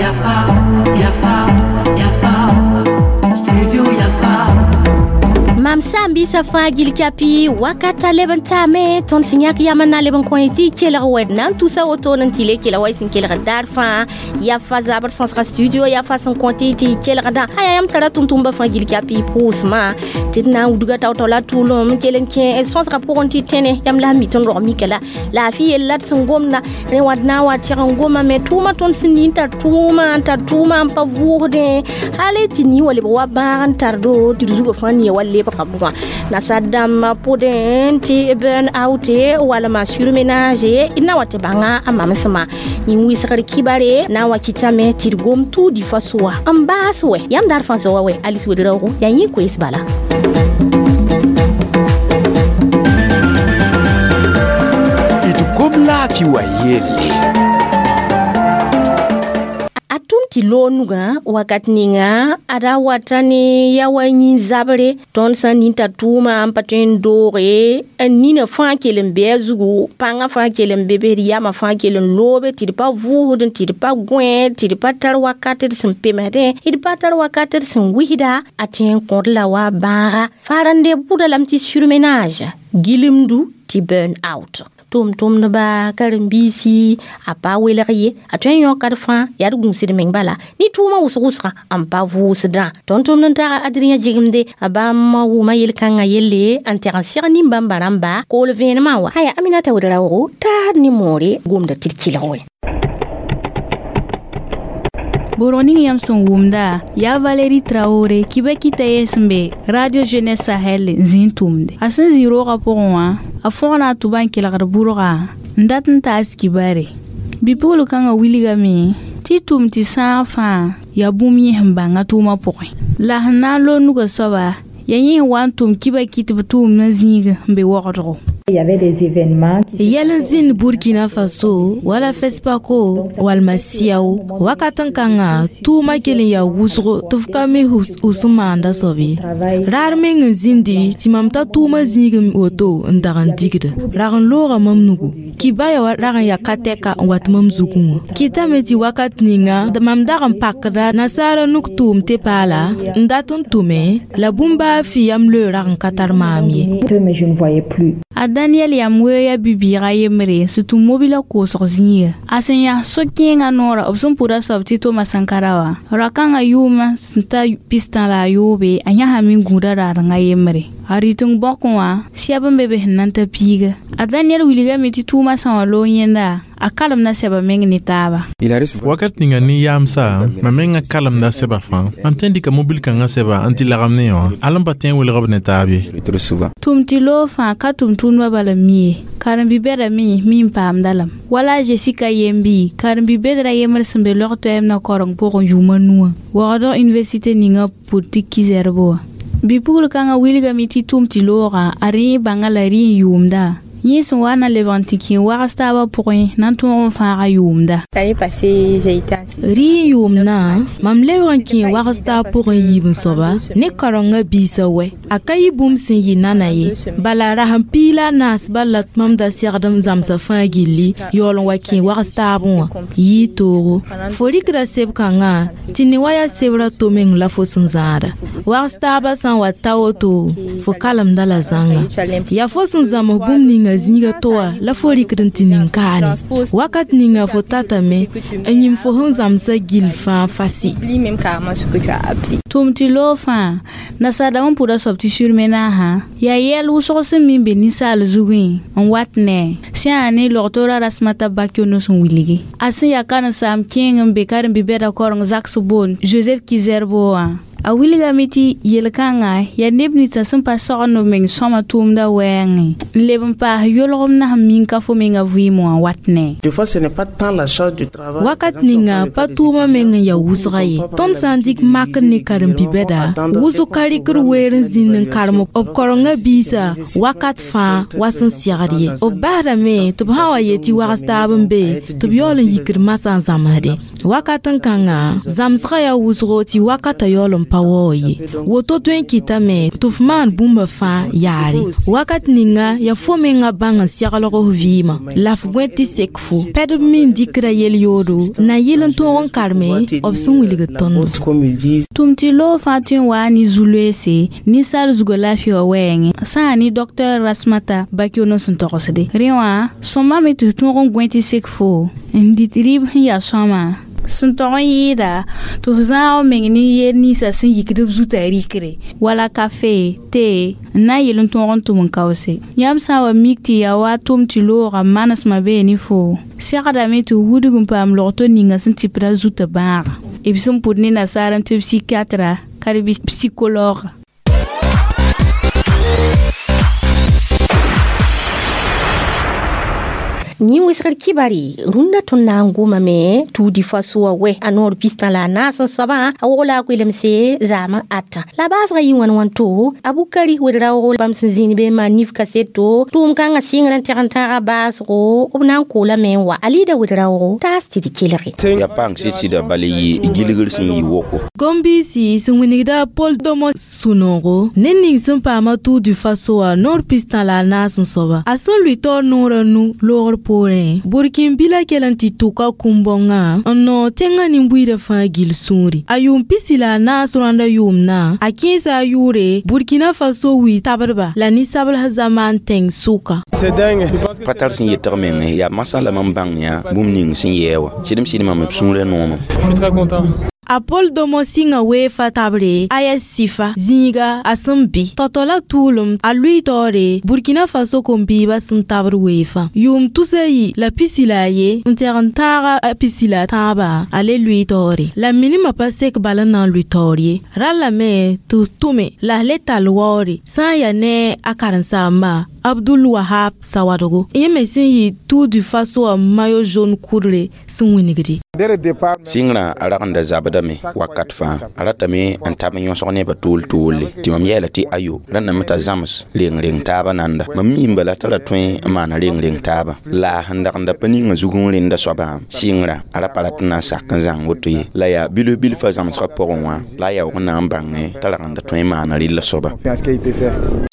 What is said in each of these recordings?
Yafa, Yafa, Yafa, Studio Yafa. Mam sã n biisã fãa gil kapi wakata leb n taame tõnd sẽn yãk yam n na n leb n kõ tɩ y kelg wɛd na n tusa wotone n tɩ le kelg wa y sẽn kelgd daar fãa yafa zabr sõsga studio yafa sẽn kõ tɩ tɩ y kelgdã aya yãmb tara tʋm-tʋmba fãa gil kapi pʋʋsmã tɩ d na n wudga tao-tao la tʋʋlem kell n kẽ sõsga pʋgẽ tɩ tẽne yãmb la n mi tɩ n rog mika la laafɩ yell la d sẽn gomda rẽ wã d na n wa tɛg n gomame tʋʋma tõnd sẽn nin tar tʋʋma n tar tʋʋma n pa vʋʋsdẽ hal tɩ nin wa lebg wa bãag n tardo tɩ d zugã fãa nia wa lebga bʋgã nasar dãmbã pʋdẽ tɩ burn out walma surménage d na wa tɩ bãnga a mamsmã yĩn wɩsgr kibare na n wa kɩtame tɩ d gom tuudi fa soa n baas wɛ yãmb daar fãa zoa wɛ Alice Ouédraogo yaa yẽ koees bala. D gom laafɩ wa yelle. A tʋm tɩ loog nugã wakat ninga a ra wata ne ya wa yĩn zabre tõnd sã n nin t'a tʋʋma n pa tõe n dooge n nina fãa kell n bɩ a zugu pãngã fãa kell n be be d yamã fãa kell n loobe tɩ d pa vʋʋsd tɩ d pa gõe tɩ d pa tar wakat d sẽn pemsdẽ d pa tar wakat d sẽn wisda a tõe n kõd la wa bãaga farande bʋda lame tɩ surménage gilemdu tɩ burn out tʋm-tʋmdba karen-biisi a pa welg ye a tõe n yõkad fãa yaa d gũusd meng bala ne tʋʋmã wʋsg-wʋsgã n pa vʋʋsdã tõnd tʋmd n taga Adrien Jigemde a bãmb wʋma yel-kãngã yelle n tɛg n seg nin-bãmba rãmba kool vẽenemã wa aya Aminata Ouédraogo taad ne moore gomda tɩ d kelg wɛ. Borg ning yãmb sẽn wʋmda yaa Valérie Traoré kiba kɩta yee sẽn be Radio Jeunesse Sahel n zĩ n tʋmde a sẽn zĩ roogã pʋgẽ wã a fõgna a tʋba n kelgd bʋrga n dat n taas kibare bipugl kãngã wilgame tɩ tʋm tɩ sãag fãa yaa bũmb yẽ sẽn bãnga tʋʋmã pʋgẽ la sẽn na n loog nugã soaba yaa yẽ sẽn wa n tʋm kiba kɩt b tʋʋmdã zĩig n be wogdgo. Il y avait des événements qui Yɛl n zĩnd Burkina Faso wala FESPACO walma Siao wakat n kãngã tʋʋma kell n yaa wʋsgo tɩ f ka mi f sẽn maanda soab ye raar meng n zĩndi tɩ mam ta tʋʋma zĩig woto n dag n digda rag n looga mam nugu kibaya wa rag n yaa ka tɛka n wat mam zugẽ wã kɩtame tɩ wakat ninga mam dag n pakda nasaara nuk tʋʋm tɩ paala n dat n tʋme la bũmb baa fɩ yam loe rag n ka tar maam ye. Mais je ne voyais plus. A Daniel yam weoya bibiiga yembre sẽn tʋm mobila koosg zĩiga a sẽn yaa so-kẽengã noorã b sẽn pʋda soab tɩ Toma Sankara wã ra-kãngã yʋʋmã sẽn ta pistã la a yoobe a yãsame n gũuda raadengã yembre a rɩteng bõkẽ wã sɛb n be be sẽn na n ta piiga a Daniel wilgame tɩ tʋʋmã sã wã loog yẽnda a kalemda sɛba meng ne taaba. Wakat ninga ne yaamsa mam mengã kalemda sɛba fãa mam tõe n dɩka mobil kãngã sɛba n tɩ lagem ne wã al n pa tõe n welg b ne taab ye. Tʋm tɩ loog fãa ka tʋm-tʋmdbã bala n mi ye karen-bi-bɛda me mi n paamda lame wala Jessica yembi karen-bi-bɛdrã yembr sẽn be log toɛɛmdã koreng pʋgẽ yʋʋma nuwã waoogdg université ninga pʋd tɩ kizɛrbo wã bipugl kãngã wilgame tɩ tʋm tɩ loogã a rẽ bãnga la rɩ n yʋʋmda yẽ sẽn wa na lebg n tɩ kẽ wags taabã pʋgẽ na n tõog n fãaga yʋʋmda. L'année passée, j'ai été en session. Rɩ n yʋʋmdã mam lebg n kẽ wags taab pʋgẽ yiib n soaba ne karengã biisã wɛ a ka yɩ bũmb sẽn yɩ nana ye bala rasem piig la a naas bal la mam da segd m zãmsã fãa gilli yaool n wa kẽ wags taabẽ wã yɩɩ toogo fo rɩkda seb-kãngã tɩ ne wa yaa sebrã to meng la fo sẽn zãada wags taabã sã n wa ta woto fo kalemda la zãnga yaa fo sẽn zãms bũmb ninga zĩiga to wã la fo rɩkd n tɩ nin-kaane wakat ninga fo tatame n yĩm fo sẽn zãmsã gill fãa fasi. Oublie même carrément ce que tu as appris. Tʋm tɩ loog fãa nasaadame pʋda soab tɩ surmenagã yaa yɛl wʋsg sẽn min be ninsaal zugẽ n wat ne sẽn yaa ne log-toorã Rasmata Bakyono sẽn wilgi a sẽn yaa karen-saam kẽeng n be karen-bi-bɛda koreng zaks boond Joseph Kizerbo wã a wilgame tɩ yel-kãngã yaa neb ninsã sẽn pa sogend b meng sõma tʋʋmdã wɛɛngẽ n leb n paas yolgem na sẽn min ka fo mengã vɩɩm wã wat ne. Des fois, ce n'est pas tant la charge du travail. Wakat ninga pa tʋʋmã meng n yaa wʋsga ye tõnd sã n dɩk makr ne karen-bi-bɛda wʋsg ka rɩkd weer n zĩnd n karem b korengã biisã wakat fãa wa sẽn segd ye b basdame tɩ b sã wa yet tɩ wags taab n be tɩ b yaool n yikd masã n zãmsdẽ wakat n kãngã zãmsgã yaa wʋsgo tɩ wakatã yaool n pa waoog ye woto tõe n kɩtame tɩ f maan bũmba fãa yaare wakat ninga yaa fo menga bãng n seglg f vɩɩmã la f gõe tɩ sek fo pɛdb me n dɩkda yel-yoodo na yɩl n tõog n karme b sẽn wilgd tõndo tʋm tɩ loog fãa tõe n waa ne zu-loeese ninsaal zugã laafɩ wã wɛɛngẽ sã n yaa ne dɔktar Rasmata Bakiono sẽn togsde rẽ wã sõma me tɩ f tõog n gõe tɩ sek fo n dɩt rɩɩb sẽn yaa sõama sẽn tog n yɩɩda tɩ f zãag f meng ne yel ninsã sẽn yikd b zutã rɩkre wala kafe te n na n yel n tõog n tʋm n kaoose yãmb sã n wa mik tɩ yaa wa tʋm tɩ loogã manesmã bee ne fo segdame tɩ wudg n paam logto ninga sẽn tɩpda zutã bãaga b sẽn pʋd ne nasaar n tɩ psychiatra ka d bɩ psychologue. Yẽ wesgr kibari rũndã tõnd na n gomame tuudi fasoa wɛ a noor pistã la a naas n soabã a wog la a koelemse zaamã ata la baasgã yɩ wãn wãn to a Bukari wed-raoogo bãmb sẽn zĩnd be n maan nif kaseto tʋʋm kãngã sɩngr n tẽg n tãaga baasgo b na n koolame n wa a lɩɩda wed-raoogo taas tɩ d kelge yaa paang sɩd-sɩda bala yɩ gilgr sẽn yɩ woko Gombiisi sẽn wilgda Paul Domo sũ-noogo ned ning sẽn paama Tour du Faso wã noor pistã la a naas n soaba a sẽn lʋɩ taoor noorã nu loogr poorẽ burkin bila kell n tɩ tʋka kũm-bõngã n noog tẽngã nin-buiidã fãa gill sũuri a yʋʋm pisi la a naas rõanda yʋʋmdã a kẽesa a yʋʋre Burkina Faso wi tabdba la ninsabls zamaan tẽng sʋka pa tar sẽn yetg meng yaa masã la mam bãng yaa bũmb ning sẽn yɛɛ wã sɩdem sɩd mam b sũurã noomã. A Paul Domo sɩnga weefa tabre AS Sifa zĩiga a sẽn bɩ tɔtɔ la tʋʋlem a lʋɩ taoore Burkina Faso kom-biibã sẽn tabr weefã yʋʋm tusa yi la pisi la a ye n tɛg n tãaga a pisi la a tãabã a le lʋɩ taoore la minimã pa sek bala n na n lʋɩ taoor ye rallame tɩ tʋme la le tall waoore sã n yaa ne a karen-saamba Abdul Wahab Sawadogo yẽ me sẽn yɩ Tour du Faso wã maillot jaune kʋdre sẽn wingde. Sɩngrã a ragenda zabdame wakat fãa a ratame n tab n yõsg nebã tool toolle tɩ mam yɛɛla tɩ ayo rãndame t'a zãms reng-reng taabã nanda mam miime bala t'a ra tõe n maana reng-reng taabã la sẽn dagenda pa ninga zug n rẽnda soabã sɩngrã a ra pa rat n na n sak n zãng woto ye la yaa bilf bilfã zãmsgã pʋgẽ wã la a yaoog n na n bãngẽ t'a ragenda tõe n maana rɩlla soaba.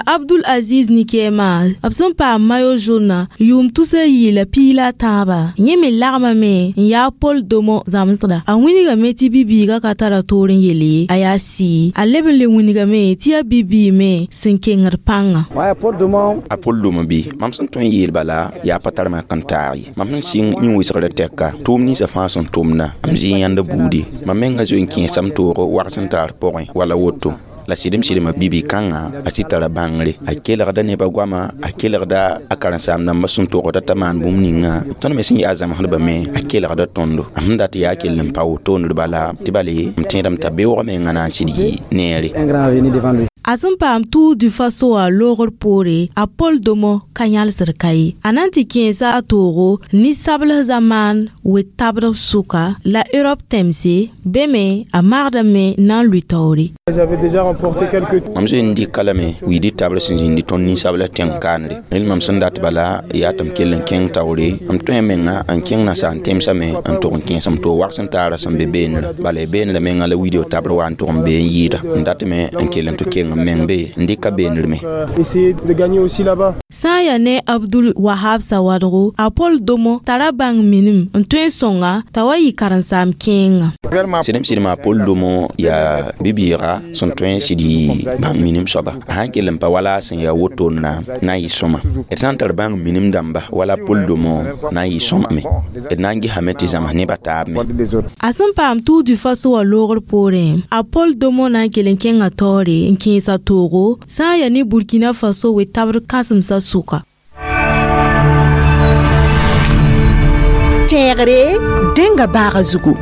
Abdul Aziz Nikema b sẽn paam maillot jaune yʋʋm tusa yɩ la piig la a tãabã yẽ me lagmame n yaa Paul Domo zãmsda a wĩnigame tɩ bi-biigã ka tara toor n yel ye a yaa sɩɩ a leb n le wĩnigame tɩ yaa bi-biig me sẽn kengd pãngã. A Paul Domo bɩ mam sẽn tõe n yeel bala yaa pa tar mak n taag ye mam sẽn sɩng yĩn-wɩsgrã tɛka tʋʋm ninsã fãa sẽn tʋmda m zɩ yãnda buudi mam menga zoe n kẽesame toogo wags n taar pʋgẽ wala woto la sɩdem sɩdemã bibi kãngã a sɩd tara bãngre a kelgda nebã goama a kelgda a karen-saam dãmbã sẽn togda t'a maan bũmb ninga tõnd me sẽn yaa zãmsdbã me a kelgda tõndo a sẽn dat yaa kell n pa wotondr bala tɩ bale m tẽedame t'a beoogã menga na n sɩd yɩ neere. A sẽn paam Tour du Faso wã loogr poore a Paul Domo ka yãlsd ka ye a na n tɩ kẽesa a toogo ninsabls zamaan wet-tabd sʋka la Europe tẽmse be me a magdame na n lʋɩ taoore. Mam zoe n dɩka lame wiidi tabr sẽn zĩndi tõnd ninsabla tẽng kaanre rẽnd mam sẽn dat bala yaa tɩ m kell n kẽng taoore m tõe menga n kẽng nasaar tẽmsame n tʋg n kẽes m toog wags n taara sẽn be beenrã bala beenrã menga la wiidg tabr wa n tʋg n bee n yɩɩda n datame n kell n tɩ keng n meng be n dɩka beenr me. Sã n yaa ne Abdul Wahab Sawadogo a Paul Domo tara bãng minim n tõe n sõnga t'a wa yɩ karen-saam kẽengã. Sɩdem sɩdem a Paul Domo yaa bi-bɩɩga sẽn tõe n sɩd yɩ bãng minim soaba a sãn kell n pa wala sẽn yaa wotonna na n yɩ sõma d sã n tar bãng minim dãmba wala Paul Domo na n yɩ sõmame d na n gesame tɩ zãms nebã taab me. A sẽn paam Tour du Faso wã loogr poorẽ a Paul Domo na n kell n kẽngã taoore n kẽes a toogo sã n yaa ne Burkina Faso wet-tabd kãsemsã sʋka. Tẽegre dẽnga baaga zugu.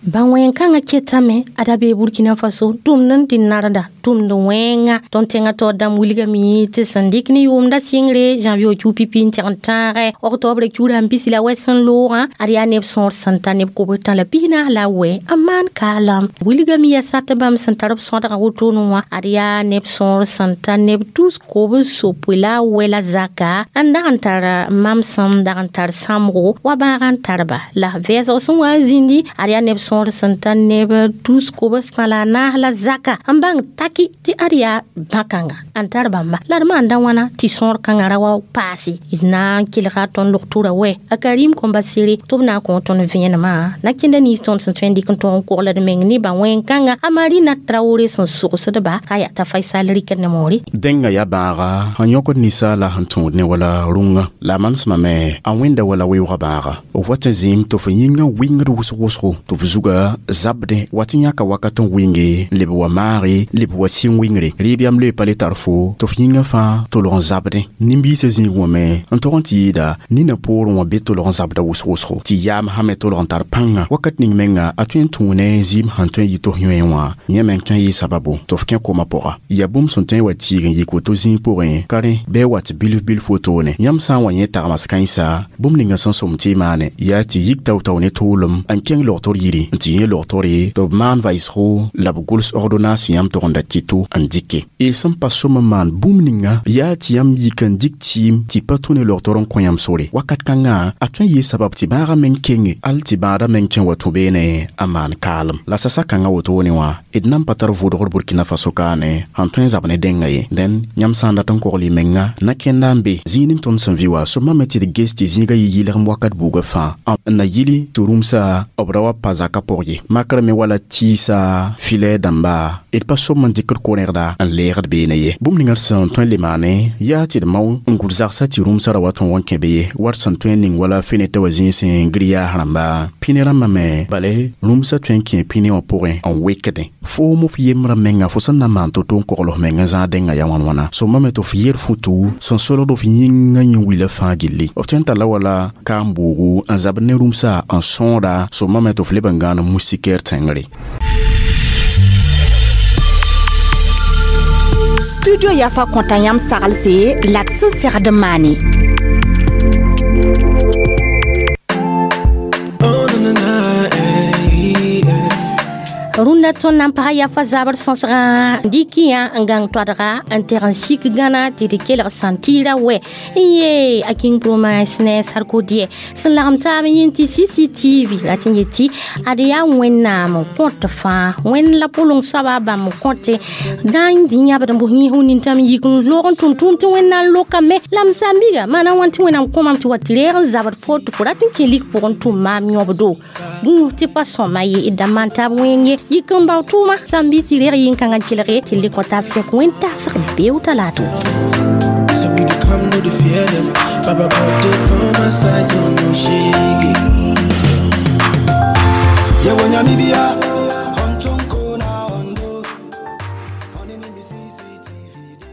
Bãn wẽn-kãngã ketame a da bee Burkina Faso tʋmd n tɩ narda tʋmd wẽnga. Tõnd tẽngã taoor dãmb wilgame tɩ sẽn dɩk ne yʋʋmda sɩngre janvier kiu pipi n tẽg n tãagɛ octobre kiuda n pisi la wɛs n loogã ad yaa neb sõor sẽn ta neb kobs tã la 14 la wɛ n maan kaalam. Wilgame yaa sat bãmb sẽn tar b sõdgã wotone wã ad yaa neb sõor sẽn ta neb tus kobs sopoe la wɛ la zaka n dag n tar mamsem dag n tar sãmbgo wa bãag n tarba la vɛɛsg sẽn wa n zĩndi ad yaa neb sõor sẽn ta neb tus kobs tã la naas la zaka n bãng taki tɩ ad yaa bã-kãnga n tar bãmba la d maanda wãna tɩ sõor kãngã ra wa paase d na n kelga tõnd log-tʋra wɛ a Karim kõmba sere tɩ b na n kõ tõnd vẽenemã na kẽnda nins tõnd sẽn tõe n dɩk n tõog n kogl d meng ne bã wẽn-kãnga a Marina Traoré sẽn sogsdba a yaa t'a Faisal rɩkd ne moore. Dẽnga yaa bãaga sẽn yõkd ninsaala sẽn tõod ne wala rũngã la a manesmã me a wẽnda wala weoogã bãaga f wa tɩ zĩim tɩ f yĩngã wɩngd wʋsg-wʋsgo tɩ f zuga zabdẽ wa tɩ yãka wakat n wɩnge n leb wa maage leb wa sɩng wɩngre rɩɩb yam loe pa le tar fo tɩ f yĩngã fãa tolg n zabdẽ nin-biisã zĩig wã me n tog n tɩ yɩɩda nina poorẽ wã be tolg n zabda wʋsg-wʋsgo tɩ yaam sã me tolg n tar pãnga wakat ning menga a tõe n tũu ne zɩɩm sẽn tõe n yɩ tɩ f yõe wã yẽ meng tõe n yɩ sababu tɩ f kẽ koma pʋga yaa bũmb sẽn tõe n wa tiig n yik woto zĩig pʋgẽ ka rẽ bɩ wat bilf bilf wotone yãmb sã n wa yẽ tagmas kãensa bũmb ninga sẽn sõm tɩ y maane yaa tɩ yik tao-tao ne tʋʋlem n kẽng logtr yiri n tɩ yẽ logtore tɩ b maan vaɩsgo la b gʋls ordonnance yãmb togenda tɩ-to n dɩke y sẽn pa sõm n maan bũmb ninga yaa tɩ yãmb yik n dɩk tɩɩm tɩ pa tũ ne logtr n kõ yãmb sore wakat kãngã a tõe n yɩ sabab tɩ bãagã meng kenge al tɩ bãadã meng tõe n wa tũ beene a maan kaalem la sasa kãngã wotone wã d nan pa tar vʋʋdgr Burkina Faso kaane sẽn tõe n zab ne dẽnga ye dẽn yãmb sã n dat n kogl y menga na kẽnda n be zĩig ning tõnd sẽn vɩ wa sõma me tɩ d ges tɩ zĩigã yɩ yɩlgem wakat buugã fãa n na yili tɩ rũmsa b ra wa pa zakã pʋg ye makr me wala tɩɩsa filɛ dãmba d pa sõm n dɩkd ko-rẽgda n leegd beene ye bũmb ninga d sẽn tõe n le maane yaa tɩ d mao n gʋd zagsã tɩ rũmsã ra wa tõog n kẽ be ye war sẽn tõe n ning wala fenetã wa zĩig sẽn grillage rãmba pĩne rãmbã me bale rũmsã tõe n kẽ pĩne wã pʋgẽ n wekdẽ foom f yembrã menga fo sẽn na n maan to-to n kogl f meng n zãag dẽngã yaa wãn-wãna sõma me tɩ f yer futu sẽn solgd f yĩngã yẽ-wila fãa gilli f tõe n talla wala kaam-buugu n zabd ne rũmsã n sõoda sõma me tɩ f leb n gãan moustiquaire tẽngre. Studio Yafa kõta yãmb saglse la d sẽn segd n maane. Rũndã tõnd na n pag yafa zabr sõsgã dɩkɩyã n gãng toadga n teg n sik gãna tɩ d kelg sãntɩɩra wɛ n yee a King Promise ne Sarkodie sẽn lagem taab n yĩn tɩ CCTV la tɩ n yetɩ ad yaa Wẽnnaam n kõt fãa Wẽnd la pʋleng soaba bãmb n kõte dã n dĩ yãbd n bʋs yĩs nintãm yik n loog n tʋm tʋʋm tɩ Wẽnnaam lokame la m sãmbiga maana wãn tɩ Wẽnnaam kõ mam tɩ wa tɩ reeg n zabd fo tɩ fo rat n kẽ lik pʋgẽ n tʋm maam yõbdo gũus tɩ pa sõma ye d da maan taab wẽng ye yik n bao tʋʋma sãmbi tɩ reeg yĩn-kãngã kelge tɩ le kõ tab sẽk wẽn-tagsg beoog talato. So we dey come, no dey fear them. Baba God dey for my side, so no shake it. Yewo nyamibia,